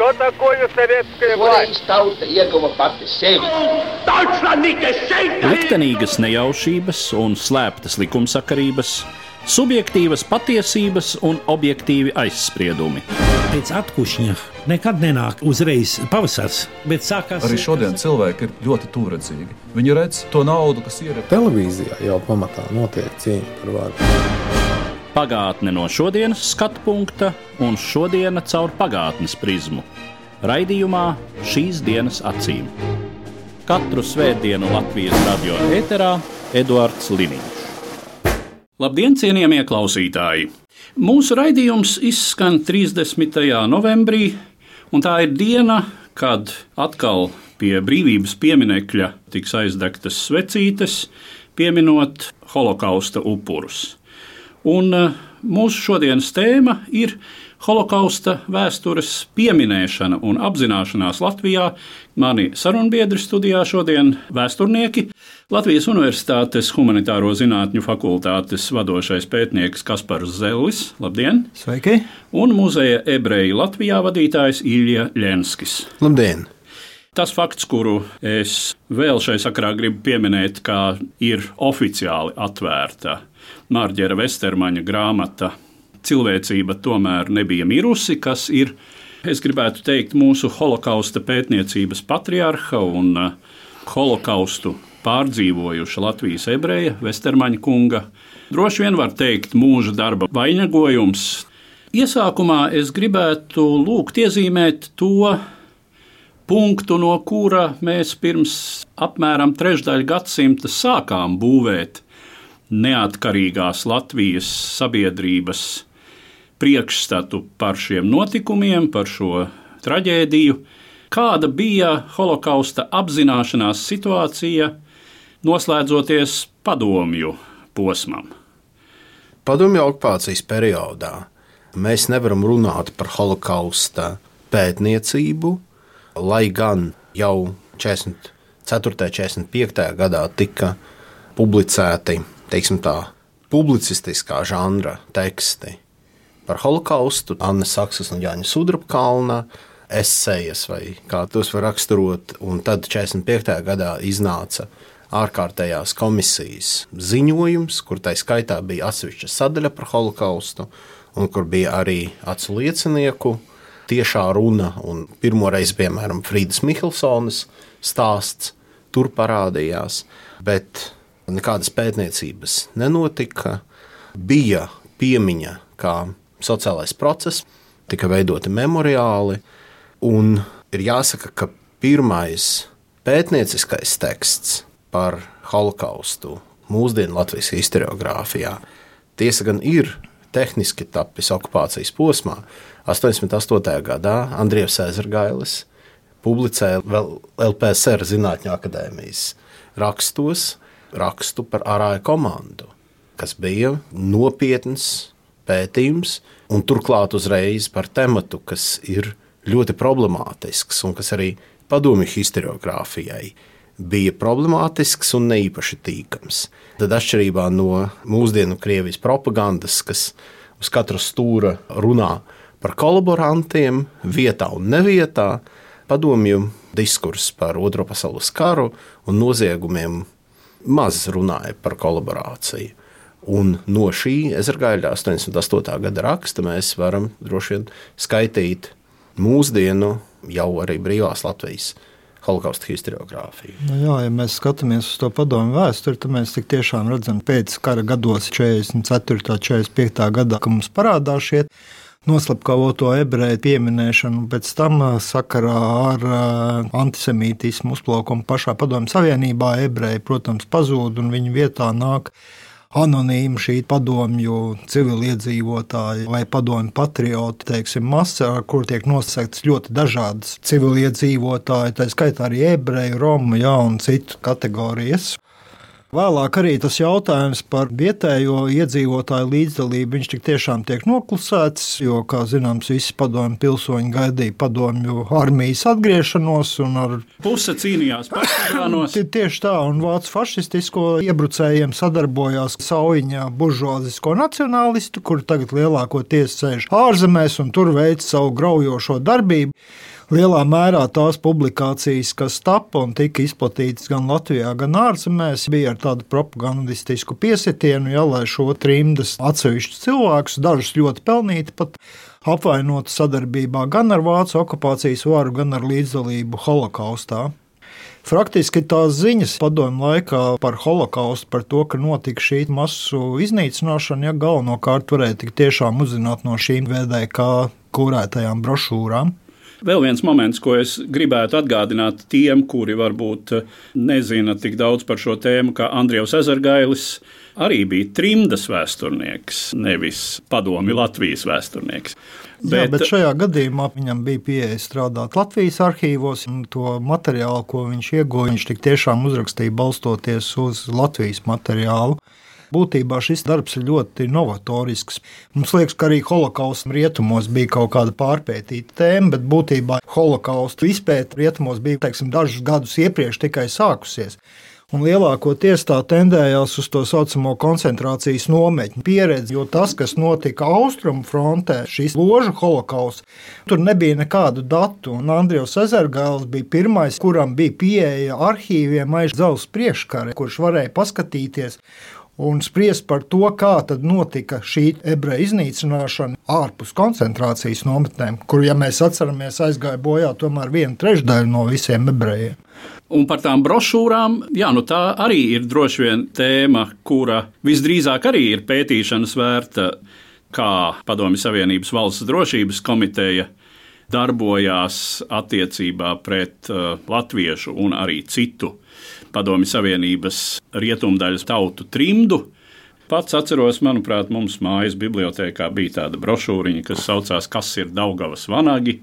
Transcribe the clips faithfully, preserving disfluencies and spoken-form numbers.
Что такое советская власть? Tauta ieguva pati sevi. Liktenīgas nejaušības un slēptas likumsakarības, subjektīvas patiesības un objektīvi aizspriedumi. Pēc atkušņa nekad nenāk uzreiz pavasars, bet sākās... Arī šodien cilvēki ir ļoti tūredzīgi. Viņi redz to naudu, kas ir... Televīzijā jau pamatā notiek cīņa par varu. Pagātne no šodienas skatu punkta un šodiena caur pagātnes prizmu. Raidījumā Šīs dienas acīm. Katru svētdienu Latvijas radio ēterā Eduards Liniņš. Labdien, cienījamie klausītāji! Mūsu raidījums izskan trīsdesmitajā novembrī, un tā ir diena, kad atkal pie brīvības pieminekļa tiks aizdegtas svecītes, pieminot holokausta upurus. Un mūsu šodienas tēma ir holokausta vēstures pieminēšana un apzināšanās Latvijā. Mani sarunbiedri studijā šodien vēsturnieki, Latvijas Universitātes humanitāro zinātņu fakultātes vadošais pētnieks Kaspars Zellis. Labdien! Sveiki! Un muzeja ebreji Latvijā vadītājs Ilja Ļenskis. Labdien! Tas fakts, kuru es vēl šai sakarā gribu pieminēt, kā ir oficiāli atvērta Mārģera Vestermaņa grāmata Cilvēcība tomēr nebija mirusi, kas ir, es gribētu teikt, mūsu holokausta pētniecības patriarha un holokaustu pārdzīvojuša Latvijas ebreja Vestermaņa kunga. Droši vien var teikt mūža darba vainagojums. Iesākumā es gribētu lūgt iezīmēt to punktu, no kura mēs pirms apmēram trešdaļa gadsimta sākām būvēt neatkarīgās Latvijas sabiedrības priekšstatu par šiem notikumiem, par šo traģēdiju. Kāda bija holokausta apzināšanās situācija, noslēdzoties padomju posmam? Padomju okupācijas periodā mēs nevaram runāt par holokausta pētniecību, lai gan jau četrdesmit ceturtajā, četrdesmit piektajā gadā tika publicēti, teiksim tā, publicistiskā žanra teksti par holokaustu, Anna Saksas un Jāņa Sudrabkalna esejas, vai kā tos var raksturot, un tad četrdesmit piektajā gadā iznāca ārkārtējās komisijas ziņojums, kur tai skaitā bija atsevišķa sadaļa par holokaustu, un kur bija arī acu liecinieku tiešā runa, un pirmoreiz, piemēram, Frīdas Mihilsonas stāsts tur parādījās, bet nekādas pētniecības nenotika, bija piemiņa kā sociālais process, tika veidoti memoriāli, un ir jāsaka, ka pirmais pētnieciskais teksts par holokaustu mūsdienu Latvijas historiogrāfijā tiesa gan ir tehniski tapis okupācijas posmā. astoņdesmit astotajā gadā Andrievs Ezergailis publicēja vēl L P S R Zinātņu akadēmijas rakstos rakstu par Arāja komandu, kas bija nopietns pētījums, un turklāt uzreiz par tematu, kas ir ļoti problemātisks un kas arī padomju historiogrāfijai bija problemātisks un neīpaši tīkams. Tad atšķirībā no mūsdienu Krievijas propagandas, kas uz katra stūra runā par kolaborantiem vietā un nevietā, padomju diskurss par Otro pasaules karu un noziegumiem maz runāja par kolaborāciju. Un no šī Ezergaļa astoņdesmit astotā gada raksta mēs varam droši vien skaitīt mūsdienu jau arī brīvās Latvijas holokausta historiogrāfiju. Nu jā, ja mēs skatāmies uz to padomju vēsturi, tad mēs tik tiešām redzam pēc kara gados četrdesmit ceturtajā, četrdesmit piektajā gadā, ka mums parādās šie noslapkavoto ebreju pieminēšanu, un pēc tam sakarā ar antisemītismu uzplaukumu pašā Padomju Savienībā ebreji, protams, pazūd, un viņu vietā nāk anonīmi šī padomju civiliedzīvotāji vai padomju patrioti, teiksim, masa, ar kur tiek nosaktas ļoti dažādas civiliedzīvotāji, tā skaitā arī ebreju, romu, jā, un citu kategorijas. Vēlāk arī tas jautājums par vietējo iedzīvotāju līdzdalību, viņš tik tiešām tiek noklusēts, jo, kā zināms, visi padomju pilsoņi gaidīja padomju armijas atgriešanos un ar... Puse cīnījās partizānos. Tieši tā, un vācu fašistisko iebrucējiem sadarbojās Saujiņā buržuāzisko nacionālistu, kuri tagad lielākoties sēž ārzemēs un tur veic savu graujošo darbību. Lielā mērā tās publikācijas, kas tapa un tika izplatītas gan Latvijā, gan ārzemēs, bija ar tādu propagandistisku piesitienu, ja, lai šo trimdas atsevišķus cilvēkus, dažus ļoti pelnīti pat apvainotu sadarbībā gan ar vācu okupācijas varu, gan ar līdzdalību holokaustā. Faktiski tās ziņas padomju laikā par holokaustu, par to, ka notika šī masu iznīcināšana, ja galvenokārt varēja tik tiešām uzzināt no šīm V D K kurētajām brošūrām. Vēl viens moments, ko es gribētu atgādināt tiem, kuri varbūt nezina tik daudz par šo tēmu, kā Andrievs Ezergailis arī bija trimdas vēsturnieks, nevis padomju Latvijas vēsturnieks. Bet, Jā, bet šajā gadījumā viņam bija pieeja strādāt Latvijas arhīvos, un to materiālu, ko viņš ieguva, viņš tik tiešām uzrakstīja balstoties uz Latvijas materiālu. Būtībā šis darbs ir ļoti novatorisks. Mums liekas, ka arī holokausta rietumos bija kaut kāda pārpētīta tēma, bet būtībā holokausta izpēta rietumos bija, teiksim, dažus gadus iepriekš tikai sākusies. Un lielākoties tā tendējās uz to saucamo koncentrācijas nometņu pieredzi, jo tas, kas notika Austrumu frontē, šis ložu holokausts, tur nebija nekādu datu, un Andrievs Ezergailis bija pirmais, kuram bija pieeja arhīviem aiz Dzelzs priekškara, kurš varēja paskatīties un spriest par to, kā tad notika šī ebreju iznīcināšana ārpus koncentrācijas nometnēm, kur, ja mēs atceramies, aizgāja bojā tomēr viena trešdaļa no visiem ebrejiem. Un par tām brošūrām, jā, nu tā arī ir droši vien tēma, kura visdrīzāk arī ir pētīšanas vērta, kā Padomju Savienības valsts drošības komiteja darbojās attiecībā pret uh, latviešu un arī citu Padomju Savienības rietumdaļas tautu trimdu. Pats atceros, manuprāt, mums mājas bibliotēkā bija tāda brošūriņa, kas saucās Kas ir Daugavas vanagi?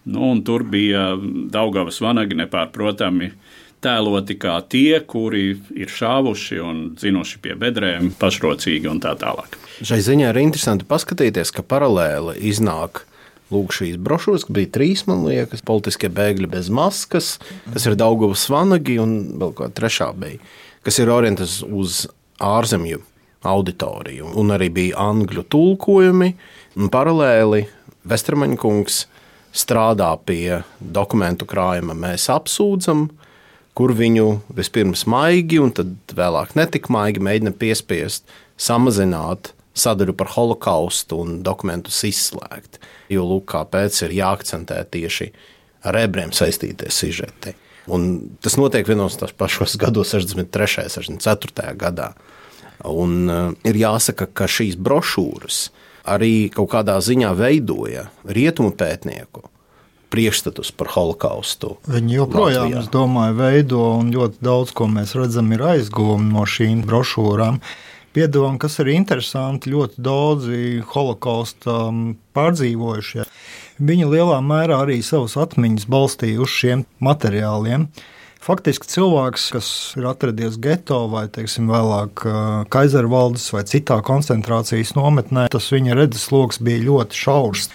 Nu, un tur bija Daugavas vanagi nepārprotami tēloti kā tie, kuri ir šāvuši un dzinuši pie bedrēm pašrocīgi un tā tālāk. Šai ziņā ir interesanti paskatīties, ka paralēli iznāk lūk šīs brošūras, ka bija trīs, man liekas, politiskie bēgļi bez maskas, kas ir Daugavas vanagi un vēl kā trešā bija, kas ir orientēts uz ārzemju auditoriju. Un arī bija angļu tulkojumi, un paralēli Vestermaņa kungs strādā pie dokumentu krājuma Mēs apsūdzam, kur viņu vispirms maigi un tad vēlāk netik maigi mēģina piespiest samazināt sadaļu par holokaustu un dokumentus izslēgt. Jo, lūk, kāpēc ir jāakcentē tieši ar ebrejiem saistītie sižeti. Un tas notiek vienos tās pašos gados, sešdesmit trešajā, sešdesmit ceturtajā gadā. Un uh, ir jāsaka, ka šīs brošūras arī kaut kādā ziņā veidoja rietumu pētnieku priekšstatus par holokaustu. Viņi joprojām, Latvijā. Es domāju, veido, un ļoti daudz, ko mēs redzam, ir aizgūmi no šīm brošūrām. Piedāvām, kas ir interesanti, ļoti daudzi holokausta pārdzīvojušie. Viņi lielā mērā arī savas atmiņas balstīja uz šiem materiāliem. Faktiski cilvēks, kas ir atradies geto vai, teiksim, vēlāk Kaizervaldes vai citā koncentrācijas nometnē, tas viņa redzesloks bija ļoti šaurs.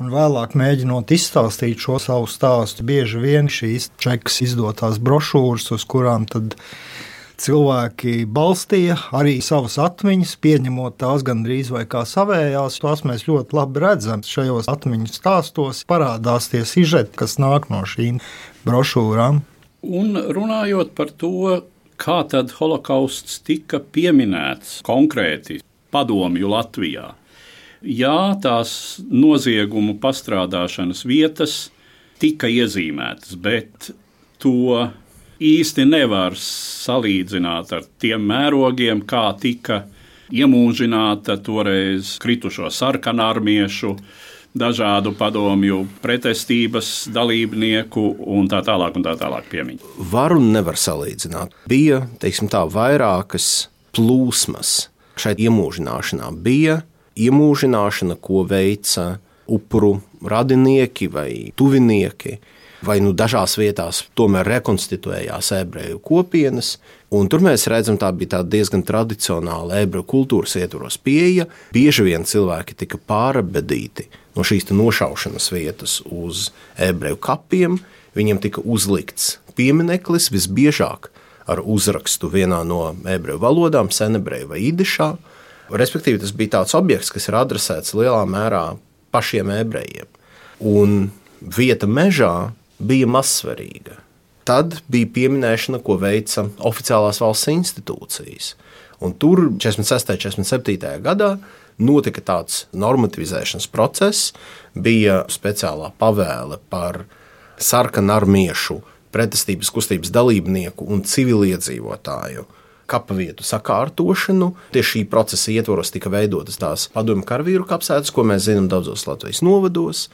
Un vēlāk mēģinot izstāstīt šo savu stāstu, bieži vien šīs čekas izdotās brošūras, uz kurām tad cilvēki balstīja arī savas atmiņas, pieņemot tās gandrīz vai kā savējās. Tās mēs ļoti labi redzam. Šajos atmiņu stāstos parādās tie sižeti, kas nāk no šīm brošūrām. Un runājot par to, kā tad holokausts tika pieminēts konkrēti padomju Latvijā. Jā, tās noziegumu pastrādāšanas vietas tika iezīmētas, bet to īsti nevar salīdzināt ar tiem mērogiem, kā tika iemūžināta toreiz kritušo sarkanarmiešu, dažādu padomju pretestības dalībnieku un tā tālāk un tā tālāk piemiņu. Var un nevar salīdzināt. Bija, teiksim tā, vairākas plūsmas šeit iemūžināšanā. Bija iemūžināšana, ko veica upuru radinieki vai tuvinieki, vai nu dažās vietās tomēr rekonstituējās ebreju kopienas, un tur mēs redzam, tā bija tāda diezgan tradicionāla ebreju kultūras ietvaros pieeja. Bieži vien cilvēki tika pārabedīti no šīs nošaušanas vietas uz ebreju kapiem, viņiem tika uzlikts piemineklis visbiežāk ar uzrakstu vienā no ebreju valodām, senebreju vai idišā. Respektīvi, tas bija tāds objekts, kas ir adresēts lielā mērā pašiem ebrejiem. Un vieta mežā bija mazsvarīga. Tad bija pieminēšana, ko veica oficiālās valsts institūcijas. Un tur četrdesmit sestajā un četrdesmit septītajā gadā notika tāds normativizēšanas process, bija speciālā pavēle par sarkanarmiešu pretestības kustības dalībnieku un civiliedzīvotāju kapavietu sakārtošanu. Tieši šī procesa ietvaros tika veidotas tās padomju karavīru kapsētas, ko mēs zinām daudzos Latvijas novados.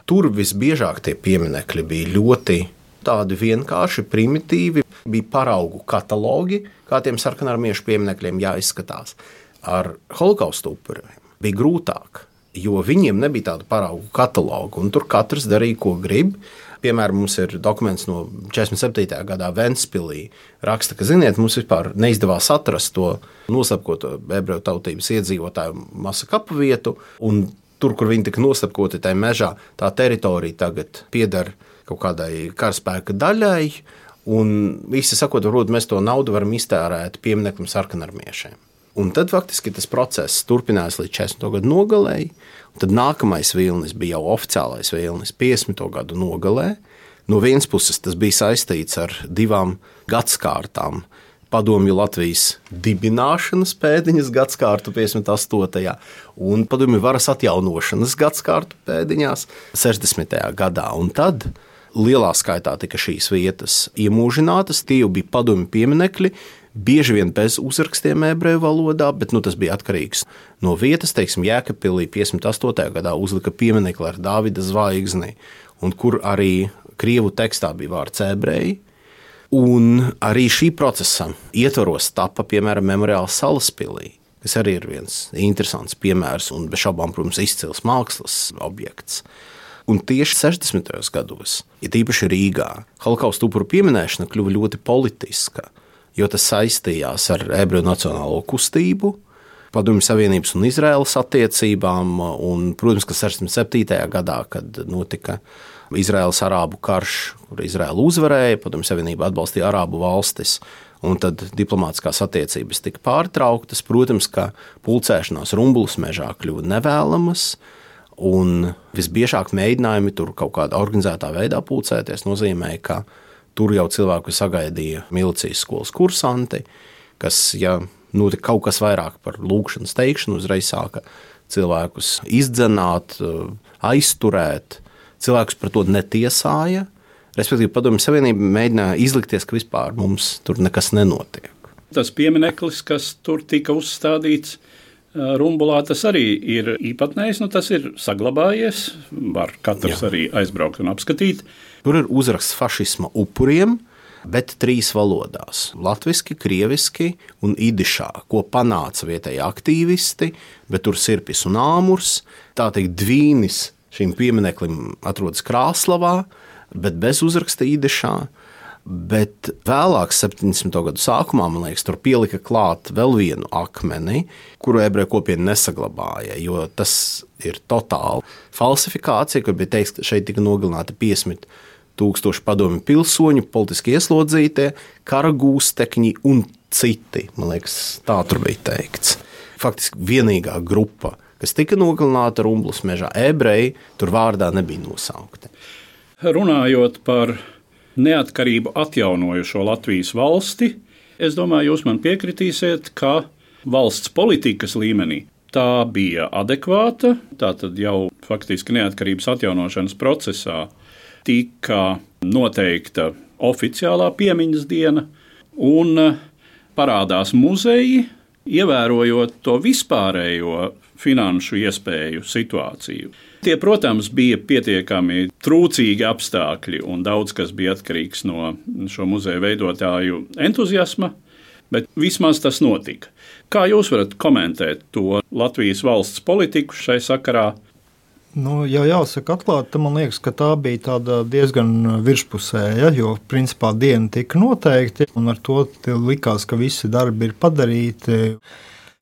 Tur visbiežāk tie pieminekļi bija ļoti tādi vienkārši, primitīvi, bija paraugu katalogi, kā tiem sarkanarmiešu pieminekļiem jāizskatās. Ar holokausta upuriem bija grūtāk, jo viņiem nebija tāda paraugu kataloga, un tur katrs darīja, ko grib. Piemēram, mums ir dokuments no četrdesmit septītajā gadā Ventspilī. Raksta, ka, ziniet, mums vispār neizdevās atrast to noslepkoto ebreju tautības iedzīvotāju masa kapavietu, un tur, kur viņi tika noslepkoti tajā mežā, tā teritorija tagad pieder kaut kādai karaspēka daļai, un visi sakot, varbūt mēs to naudu varam iztērēt piemineklim sarkanarmiešiem. Un tad faktiski tas process turpinājās līdz četrdesmito gadu nogalei, un tad nākamais vilnis bija jau oficiālais vilnis piecdesmito gadu nogalē. No vienas puses tas bija saistīts ar divām gadskārtām, padomju Latvijas dibināšanas pēdiņas gadskārtu piecdesmit astotajā un padomju varas atjaunošanas gadskārtu pēdiņās sešdesmitajā gadā. Un tad lielā skaitā tika šīs vietas iemūžinātas, tie jau bija padomju pieminekļi, bieži vien bez uzrakstiem ebreju valodā, bet nu, tas bija atkarīgs no vietas. Teiksim, Jēkabpilī piecdesmit astotajā gadā uzlika pieminekli ar Dāvida zvaigzni, un kur arī krievu tekstā bija vārds ebreji. Un arī šī procesa ietvaros tapa, piemēram, memoriāls Salaspilī, kas arī ir viens interesants piemērs un bez šaubām, protams, izcils mākslas objekts. Un tieši sešdesmitajos gados, ja tīpaši Rīgā, holokausta upuru pieminēšana kļuva ļoti politiska, jo tas saistījās ar ebreju nacionālo kustību, Padomju Savienības un Izraēlas attiecībām, un, protams, ka sešdesmit septītajā gadā, kad notika Izraēlas arābu karš, kur Izraēla uzvarēja, Padomju Savienība atbalstīja arābu valstis, un tad diplomātiskās attiecības tika pārtrauktas. Protams, ka pulcēšanās Rumbulas mežā kļuva nevēlamas, un visbiežāk mēģinājumi tur kaut kādā organizētā veidā pulcēties nozīmēja, ka tur jau cilvēku sagaidīja milicijas skolas kursanti, kas, ja notika kaut kas vairāk par lūgšanas teikšanu, uzreiz sāka cilvēkus izdzenāt, aizturēt. Cilvēkus par to netiesāja, respektīvi Padomju Savienība mēģināja izlikties, ka vispār mums tur nekas nenotiek. Tas piemineklis, kas tur tika uzstādīts Rumbulā, tas arī ir īpatnējs, nu tas ir saglabājies, var katrs Jā. Arī aizbraukt un apskatīt. Tur ir uzraksts fašisma upuriem, bet trīs valodās – latviski, krieviski un idišā, ko panāca vietēji aktīvisti, bet tur sirpis un āmurs, tā teikt dvīnis šim piemineklim atrodas Krāslavā, bet bez uzraksta idišā. Bet vēlāk, septiņdesmito gadu sākumā, man liekas, tur pielika klāt vēl vienu akmeni, kuru ebreju kopiena nesaglabāja, jo tas ir totāli falsifikācija, kur bija teikts, ka šeit tika nogalināti piecdesmit tūkstoši padomju pilsoņu, politiski ieslodzītie, kara gūstekņi un citi. Man liekas, tā tur bija teikts. Faktiski vienīgā grupa, kas tika nogalināta Rumbulas mežā, ebreji, tur vārdā nebija nosaukti. Runājot par neatkarību atjaunojušo Latvijas valsti, es domāju, jūs man piekritīsiet, ka valsts politikas līmenī tā bija adekvāta, tātad jau faktiski neatkarības atjaunošanas procesā tika noteikta oficiālā piemiņas diena un parādās muzeji, ievērojot to vispārējo finanšu iespēju situāciju. Tie, protams, bija pietiekami trūcīgi apstākļi un daudz kas bija atkarīgs no šo muzeju veidotāju entuziasma, bet vismaz tas notika. Kā jūs varat komentēt to Latvijas valsts politiku šai sakarā? Nu, ja jāsaka atklāti, man liekas, ka tā bija tāda diezgan virspusēja, jo principā diena tika noteikti un ar to likās, ka visi darbi ir padarīti.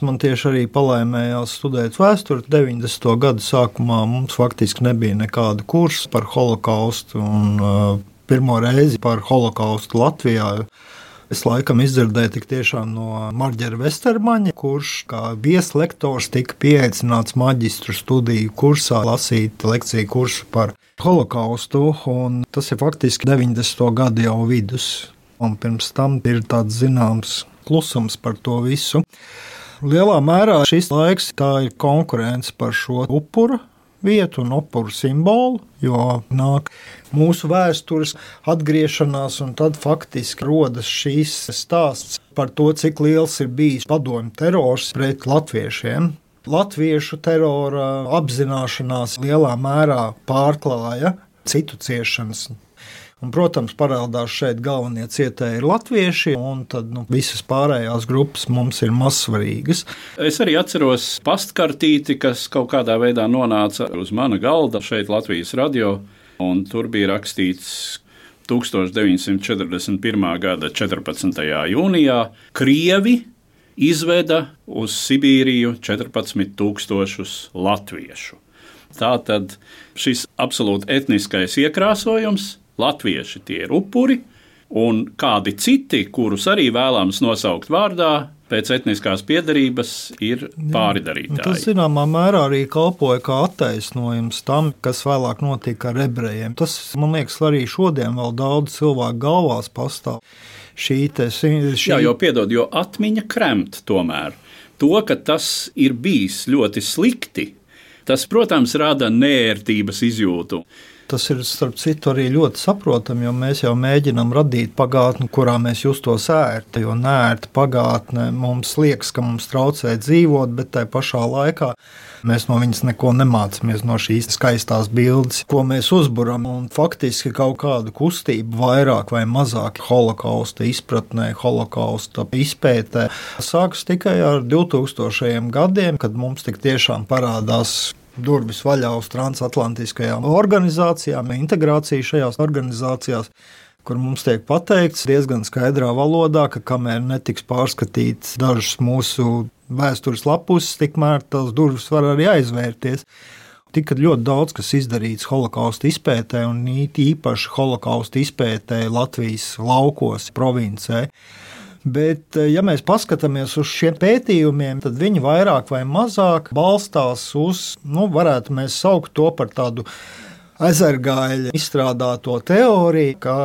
Man tieši arī palēmējās studēt vēsturi. deviņdesmito gadu sākumā mums faktiski nebija nekāda kursa par holokaustu un uh, pirmo reizi par holokaustu Latvijā. Es laikam izdzirdēju tik tiešām no Marģera Vestermaņa, kurš kā vieslektors tika pieaicināts maģistru studiju kursā lasīt lekciju kursu par holokaustu, un tas ir faktiski deviņdesmito gadu jau vidus. Un pirms tam ir tāds zināms klusums par to visu. Lielā mērā šis laiks tā ir konkurence par šo upuru vietu un upuru simbolu, jo nāk mūsu vēstures atgriešanās, un tad faktiski rodas šīs stāsts par to, cik liels ir bijis padomju terors pret latviešiem. Latviešu terora apzināšanās lielā mērā pārklāja citu ciešanas. Un, protams, parādās šeit galvenie cietēji ir latvieši, un tad nu, visas pārējās grupas mums ir mazsvarīgas. Es arī atceros pastkartīti, kas kaut kādā veidā nonāca uz mana galda šeit Latvijas radio, un tur bija rakstīts tūkstoš deviņsimt četrdesmit pirmā gada četrpadsmitajā jūnijā Krievi izveda uz Sibīriju četrpadsmit tūkstošus latviešu. Tātad šis absolūti etniskais iekrāsojums, latvieši tie ir upuri, un kādi citi, kurus arī vēlams nosaukt vārdā, pēc etniskās piederības ir pāridarītāji. Tas zināmā mērā arī kalpoja kā attaisnojums tam, kas vēlāk notika ar ebrejiem. Tas, man liekas, arī šodien vēl daudz cilvēku galvās pastāv. Šī te, šī... Jā, jo piedod, jo atmiņa kremt tomēr. To, ka tas ir bijis ļoti slikti, tas, protams, rada neērtības izjūtu. Tas ir, starp citu, arī ļoti saprotami, jo mēs jau mēģinām radīt pagātni, kurā mēs justos ērti, jo neērta pagātne mums liekas, ka mums traucē dzīvot, bet tai pašā laikā mēs no viņas neko nemācāmies, no šīs skaistās bildes, ko mēs uzburam, un faktiski kaut kādu kustību vairāk vai mazāk holokausta izpratnē, holokausta izpētē sākas tikai ar divtūkstošajiem gadiem, kad mums tik tiešām parādās durvis vaļā uz transatlantiskajām organizācijām, integrācija šajās organizācijās, kur mums tiek pateikts diezgan skaidrā valodā, ka kamēr netiks pārskatīts dažas mūsu vēstures lapuses, tikmēr tās durvis var arī aizvērties. Tika ļoti daudz, kas izdarīts holokausta izpētē, un īpaši holokausta izpētē Latvijas laukos, provincē. Bet, ja mēs paskatāmies uz šiem pētījumiem, tad viņi vairāk vai mazāk balstās uz, nu, varētu mēs saukt to par tādu ezergāļa izstrādāto teoriju, ka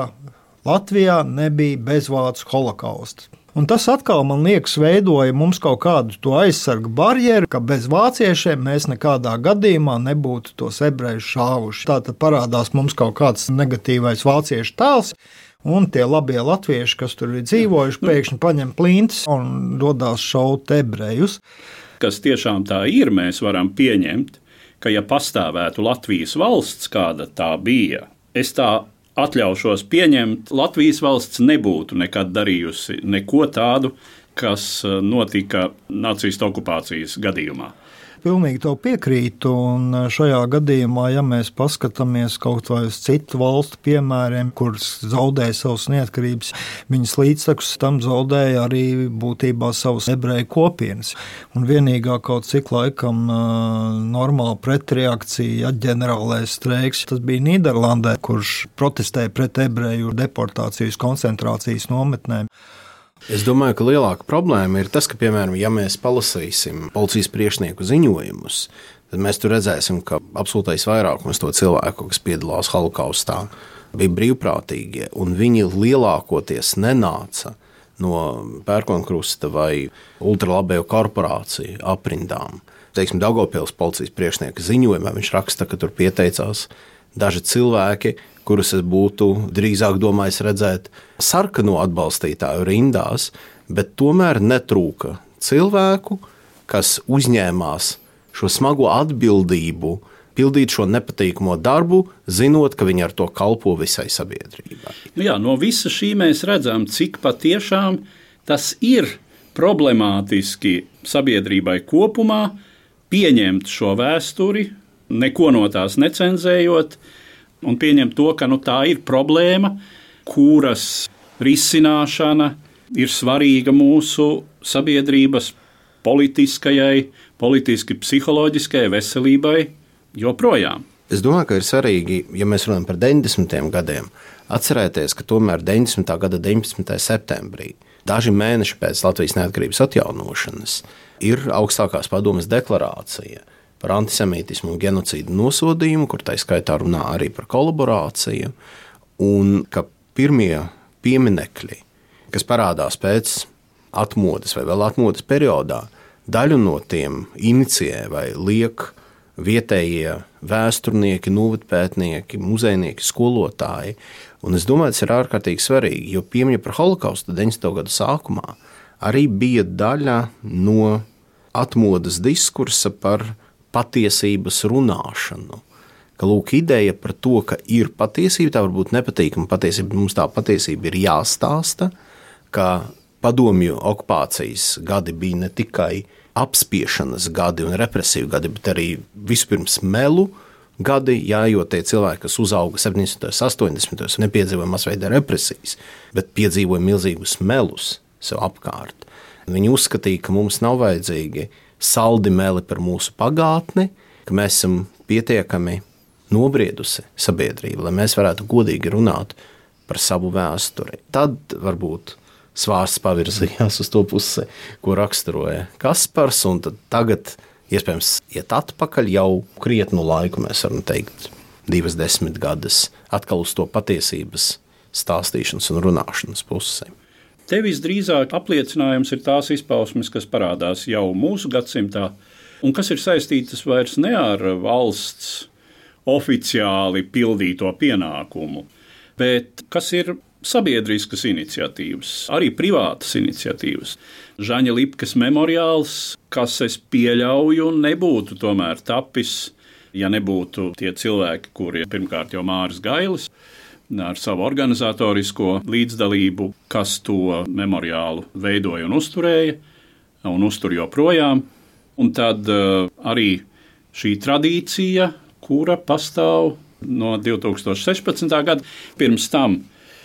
Latvijā nebija bezvācu holokausta. Un tas atkal, man liekas, veidoja mums kaut kādu to aizsargu barjeru, ka bez vāciešiem mēs nekādā gadījumā nebūtu tos ebrejus šāvuši. Tātad parādās mums kaut kāds negatīvais vāciešu tēls, un tie labie latvieši, kas tur ir dzīvojuši, pēkšņi paņem plintis un dodās šaut ebrejus. Kas tiešām tā ir, mēs varam pieņemt, ka ja pastāvētu Latvijas valsts, kāda tā bija, es tā atļaušos pieņemt, Latvijas valsts nebūtu nekad darījusi neko tādu, kas notika nacistu okupācijas gadījumā. Pilnīgi tev piekrītu, un šajā gadījumā, ja mēs paskatāmies kaut vai uz citu valstu piemēriem, kuras zaudēja savas neatkarības, viņas līdztekus tam zaudēja arī būtībā savas ebreju kopienas. Un vienīgā kaut cik laikam normāla pretreakcija, ja ģenerālais streiks, tas bija Nīderlandē, kurš protestēja pret ebreju deportācijas koncentrācijas nometnēm. Es domāju, ka lielāka problēma ir tas, ka, piemēram, ja mēs palasīsim policijas priekšnieku ziņojumus, tad mēs tur redzēsim, ka absolūtais vairākums to cilvēku, kas piedalās holokaustā, bija brīvprātīgie, un viņi lielākoties nenāca no pērkonkrusta vai ultralabējo korporāciju aprindām. Teiksim, Daugavpils policijas priekšnieka ziņojumā viņš raksta, ka tur pieteicās daži cilvēki, kurus es būtu drīzāk domājis redzēt sarkano atbalstītāju rindās, bet tomēr netrūka cilvēku, kas uzņēmās šo smago atbildību, pildīt šo nepatīkamo darbu, zinot, ka viņi ar to kalpo visai sabiedrībai. Nu jā, no visa šī mēs redzam, cik patiešām tas ir problemātiski sabiedrībai kopumā pieņemt šo vēsturi, neko no tās necenzējot, un pieņemt to, ka nu, tā ir problēma, kuras risināšana ir svarīga mūsu sabiedrības politiskajai, politiski psiholoģiskajai veselībai joprojām. Es domāju, ka ir svarīgi, ja mēs runājam par deviņdesmitajiem gadiem, atcerēties, ka tomēr deviņdesmitā gada deviņpadsmitajā septembrī, daži mēneši pēc Latvijas neatkarības atjaunošanas, ir augstākās padomes deklarācija, par antisemītismu un genocīdu nosodījumu, kur tā skaitā runā arī par kolaborāciju, un ka pirmie pieminekļi, kas parādās pēc atmodas vai vēl atmodas periodā, daļu no tiem inicijē vai liek vietējie vēsturnieki, novadpētnieki, muzejnieki, skolotāji. Un es domāju, tas ir ārkārtīgi svarīgi, jo piemiņa par holokaustu deviņdesmito gadu sākumā arī bija daļa no atmodas diskursa par patiesības runāšanu. Ka lūk, ideja par to, ka ir patiesība, tā varbūt nepatīkama patiesība, mums tā patiesība ir jāstāsta, ka padomju okupācijas gadi bija ne tikai apspiešanas gadi un represīvu gadi, bet arī vispirms melu gadi, jā, jo tie cilvēki, kas uzauga septiņdesmitajos, astoņdesmitajos, nepiedzīvoja masveida represijas, bet piedzīvoja milzīgus melus sev apkārt. Viņi uzskatīja, ka mums nav vajadzīgi saldi meli par mūsu pagātni, ka mēs esam pietiekami nobriedusi sabiedrība, lai mēs varētu godīgi runāt par savu vēsturi. Tad varbūt svārsts pavirzījās uz to pusi, ko raksturoja Kaspars, un tad tagad iespējams iet atpakaļ jau krietnu laiku, mēs varam teikt, divas desmitgades, atkal uz to patiesības stāstīšanas un runāšanas pusi. Te visdrīzāk apliecinājums ir tās izpausmes, kas parādās jau mūsu gadsimtā, un kas ir saistītas vairs ne ar valsts oficiāli pildīto pienākumu, bet kas ir sabiedriskas iniciatīvas, arī privātas iniciatīvas. Žaņa Lipkas memoriāls, kas es pieļauju, nebūtu tomēr tapis, ja nebūtu tie cilvēki, kuri pirmkārt jau Māris Gailis ar savu organizatorisko līdzdalību, kas to memoriālu veidoja un uzturēja, un uztur joprojām. Un tad uh, arī šī tradīcija, kura pastāv no divi tūkstoši sešpadsmitā gada, pirms tam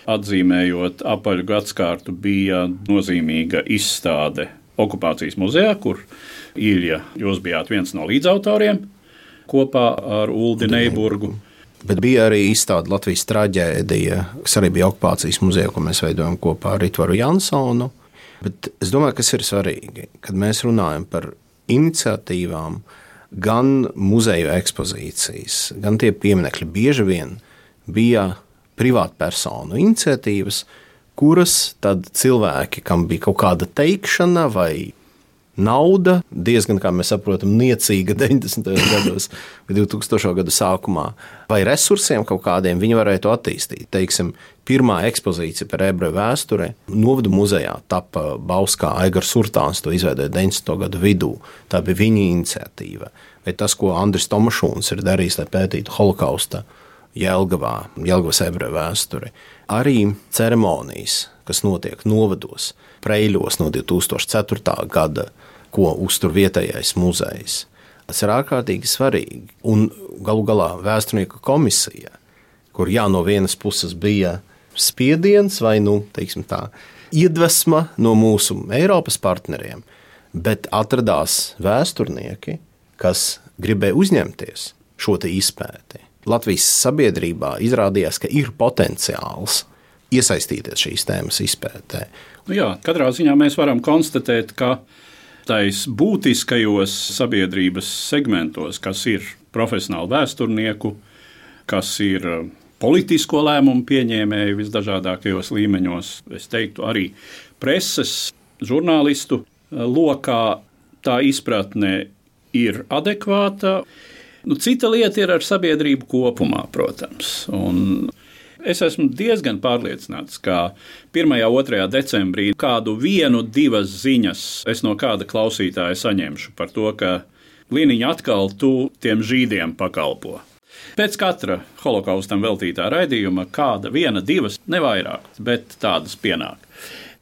atzīmējot apaļu gadskārtu, bija nozīmīga izstāde okupācijas muzejā, kur Ilja, jūs bijāt viens no līdzautoriem kopā ar Uldi Neiburgu. Bet bija arī izstāde Latvijas traģēdija, kas arī bija okupācijas muzejā, ko mēs veidojam kopā ar Ritvaru Jansonu. Bet es domāju, kas ir svarīgi, kad mēs runājam par iniciatīvām, gan muzeju ekspozīcijas, gan tie pieminekļi bieži vien bija privātpersonu iniciatīvas, kuras tad cilvēki, kam bija kaut kāda teikšana vai nauda, diezgan, kā mēs saprotam, niecīga deviņdesmitajos gados vai divtūkstošo gadu sākumā, vai resursiem kaut kādiem, viņi varēja to attīstīt. Teiksim, pirmā ekspozīcija par ebreju vēsture Novadu muzejā tapa Bauskā, Aigars Surtāns to izveidoja deviņdesmito gadu vidū. Tā bija viņa iniciatīva. Vai tas, ko Andris Tomašūns ir darījis, lai pētītu holokausta Jelgavā, Jelgavas ebreju vēsturi. Arī ceremonijas, kas notiek novados, Preiļos no divi tūkstoši ceturtā gada, ko uztur vietējais muzejs. Tas ir ārkārtīgi svarīgi. Un galu galā vēsturnieku komisija, kur jā, no vienas puses bija spiediens vai, nu, teiksim tā, iedvesma no mūsu Eiropas partneriem, bet atradās vēsturnieki, kas gribēja uzņemties šo te izpēti. Latvijas sabiedrībā izrādījās, ka ir potenciāls iesaistīties šīs tēmas izpētē. Nu jā, katrā ziņā mēs varam konstatēt, ka tais būtiskajos sabiedrības segmentos, kas ir profesionāli vēsturnieku, kas ir politisko lēmumu pieņēmēji visdažādākajos līmeņos, es teiktu arī preses, žurnālistu lokā, tā izpratne ir adekvāta. Nu, cita lieta ir ar sabiedrību kopumā, protams. Un es esmu diezgan pārliecināts, ka pirmajā, otrajā decembrī kādu vienu, divas ziņas es no kāda klausītāja saņemšu par to, ka Liniņa atkal tu tiem žīdiem pakalpo. Pēc katra holokaustam veltītā raidījuma kāda viena, divas, nevairāk, bet tādas pienāk.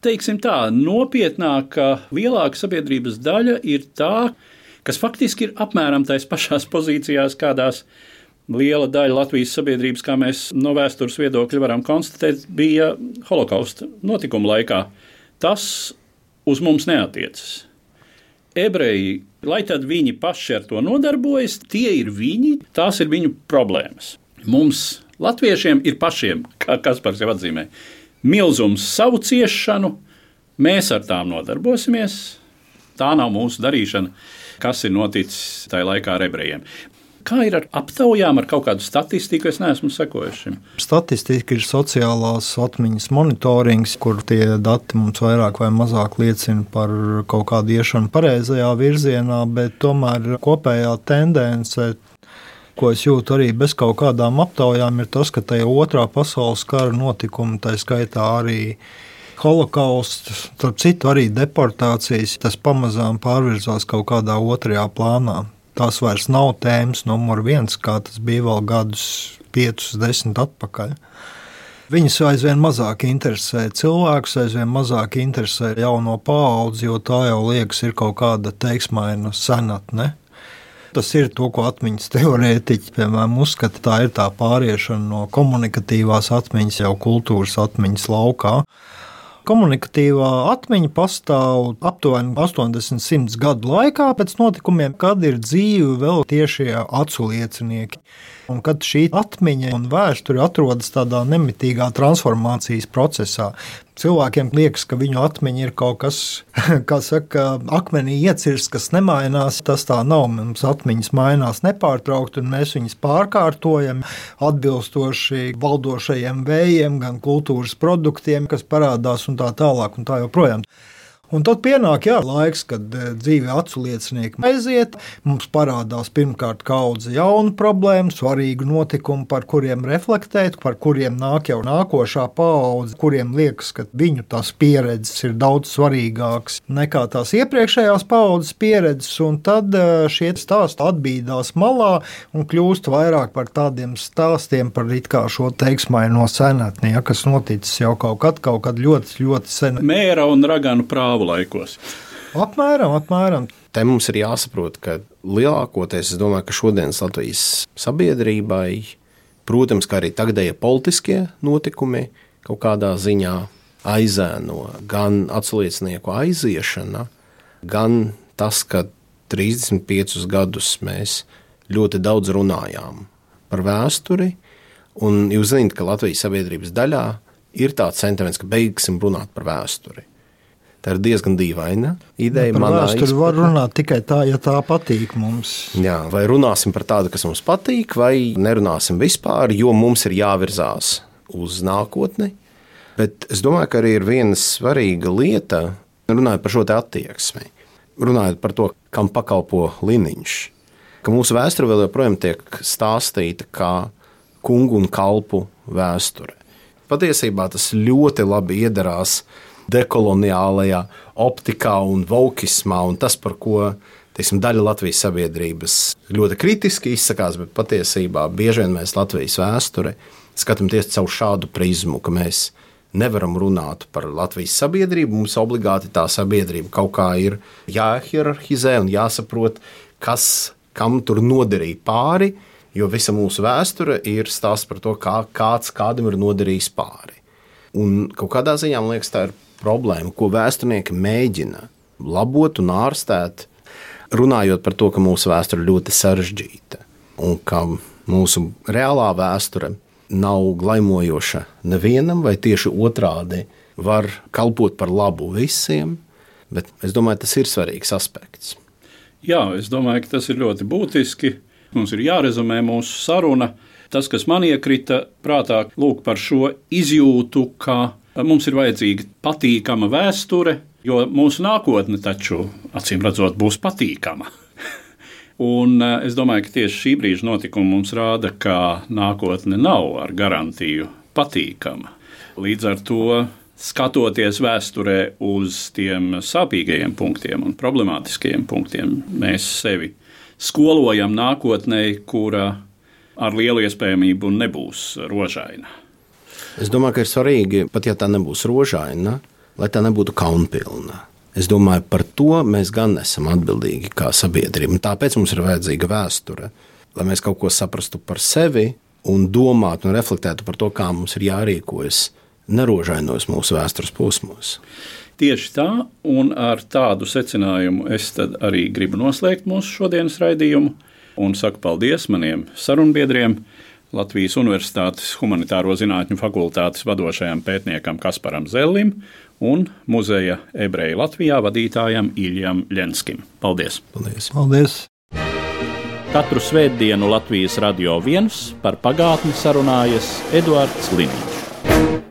Teiksim tā, nopietnāka, lielāka sabiedrības daļa ir tā, kas faktiski ir apmēram tais pašās pozīcijās, kādās liela daļa Latvijas sabiedrības, kā mēs no vēstures viedokļa varam konstatēt, bija holokausta notikuma laikā. Tas uz mums neatiecas. Ebreji, lai tad viņi paši ar to nodarbojas, tie ir viņi, tās ir viņu problēmas. Mums, latviešiem, ir pašiem, kā Kaspars jau atzīmē, milzums savu ciešanu, mēs ar tām nodarbosimies, tā nav mūsu darīšana. kas ir noticis tajā laikā ar ebrejiem. Kā ir ar aptaujām, ar kaut kādu statistiku? Es neesmu sekojis šim. Statistika ir sociālās atmiņas monitorings, kur tie dati mums vairāk vai mazāk liecina par kaut kādu iešanu pareizajā virzienā, bet tomēr kopējā tendence, ko es jūtu arī bez kaut kādām aptaujām, ir tas, ka tajā otrā pasaules kara notikumi, tā skaitā arī holokausts, starp citu arī deportācijas, tas pamazām pārvirzās kaut kādā otrajā plānā. Tās vairs nav tēmas numur viens, kā tas bija vēl gadus piecus, desmit atpakaļ. Viņas aizvien mazāk interesē cilvēkus, aizvien mazāk interesē jauno paudzi, jo tā jau liekas ir kaut kāda teiksmaina senatne. Tas ir to, ko atmiņas teorētiķi, piemēram, uzskata, tā ir tā pāriešana no komunikatīvās atmiņas jau kultūras atmiņas laukā. Komunikatīvā atmiņa pastāv aptuveni astoņdesmit simts gadu laikā pēc notikumiem, kad ir dzīvi vēl tiešie acu liecinieki. Un kad šī atmiņa un vēsture atrodas tādā nemitīgā transformācijas procesā, cilvēkiem liekas, ka viņu atmiņa ir kaut kas, kā saka, akmenī iecirsts, kas nemainās. Tas tā nav. Mums atmiņas mainās nepārtraukti, un mēs viņas pārkārtojam atbilstoši valdošajiem vējiem, gan kultūras produktiem, kas parādās un tā tālāk un tā joprojām. Un tad pienāk jā, laiks, kad dzīve acu liecinieki aiziet, mums parādās pirmkārt kaudze jaunu problēmu, svarīgu notikumu, par kuriem reflektēt, par kuriem nāk jau nākošā paudze, kuriem liekas, ka viņu tās pieredzes ir daudz svarīgākas nekā tās iepriekšējās paudzes pieredzes, un tad šie stāsti atbīdās malā un kļūst vairāk par tādiem stāstiem par it kā šo teiksmaino senatni, ja, kas noticis jau kaut kad, kaut kad ļoti, ļoti sen. Mēra un raganu prāvu laikos. Apmēram, apmēram. Te mums ir jāsaprot, ka lielākoties, es domāju, ka šodienas Latvijas sabiedrībai, protams, kā arī tagadējie politiskie notikumi kaut kādā ziņā aizēno gan atsliecinieku aiziešana, gan tas, ka trīsdesmit piecus gadus mēs ļoti daudz runājām par vēsturi, un jūs zināt, ka Latvijas sabiedrības daļā ir tāds sentiments, ka beigsim runāt par vēsturi. Tā ir diezgan dīvaina ideja. Par vēsturi var runāt tikai tā, ja tā patīk mums. Jā, vai runāsim par tādu, kas mums patīk, vai nerunāsim vispār, jo mums ir jāvirzās uz nākotni. Bet es domāju, ka arī ir viena svarīga lieta, runājot par šo te attieksmi, runājot par to, kam pakalpo Liniņš, ka mūsu vēsture vēl joprojām tiek stāstīta kā kungu un kalpu vēsture. Patiesībā tas ļoti labi iedarās dekoloniālajā optikā un vokismā, un tas, par ko teiksim, daļa Latvijas sabiedrības ļoti kritiski izsakās, bet patiesībā bieži vien mēs Latvijas vēsture skatāmies caur šādu prizmu, ka mēs nevaram runāt par Latvijas sabiedrību, mums obligāti tā sabiedrība kaut kā ir jāhierarhizē un jāsaprot, kas kam tur noderīja pāri, jo visa mūsu vēsture ir stāsts par to, kā kāds kādam ir noderījis pāri. Un kaut kādā ziņā, man liekas, tā ir problēma, ko vēsturnieki mēģina labot un ārstēt, runājot par to, ka mūsu vēsture ir ļoti sarežģīta un ka mūsu reālā vēsture nav glaimojoša nevienam, vai tieši otrādi var kalpot par labu visiem, bet es domāju, tas ir svarīgs aspekts. Jā, es domāju, ka tas ir ļoti būtiski. Mums ir jārezumē mūsu saruna. Tas, kas man iekrita prātā, lūk par šo izjūtu, ka mums ir vajadzīga patīkama vēsture, jo mūsu nākotne taču, acīm redzot, būs patīkama. Un es domāju, ka tieši šī brīža notikumi mums rāda, ka nākotne nav ar garantiju patīkama. Līdz ar to, skatoties vēsturē uz tiem sāpīgajiem punktiem un problemātiskajiem punktiem, mēs sevi skolojam nākotnē, kura ar lielu iespējamību nebūs rožaina. Es domāju, ka ir svarīgi, pat ja tā nebūs rožaina, lai tā nebūtu kaunpilna. Es domāju, par to mēs gan esam atbildīgi kā sabiedrība. Un tāpēc mums ir vajadzīga vēsture, lai mēs kaut ko saprastu par sevi un domātu un reflektētu par to, kā mums ir jārīkojas nerožainos mūsu vēstures posmos. Tieši tā, un ar tādu secinājumu es tad arī gribu noslēgt mūsu šodienas raidījumu un saku paldies maniem sarunbiedriem, Latvijas Universitātes Humanitāro zinātņu fakultātes vadošajam pētniekam Kasparam Zellim un muzeja Ebreji Latvijā vadītājam Iljam Ļenskim. Paldies! Paldies! Paldies! Katru svētdienu Latvijas Radio viens par pagātni sarunājas Eduards Liniņš.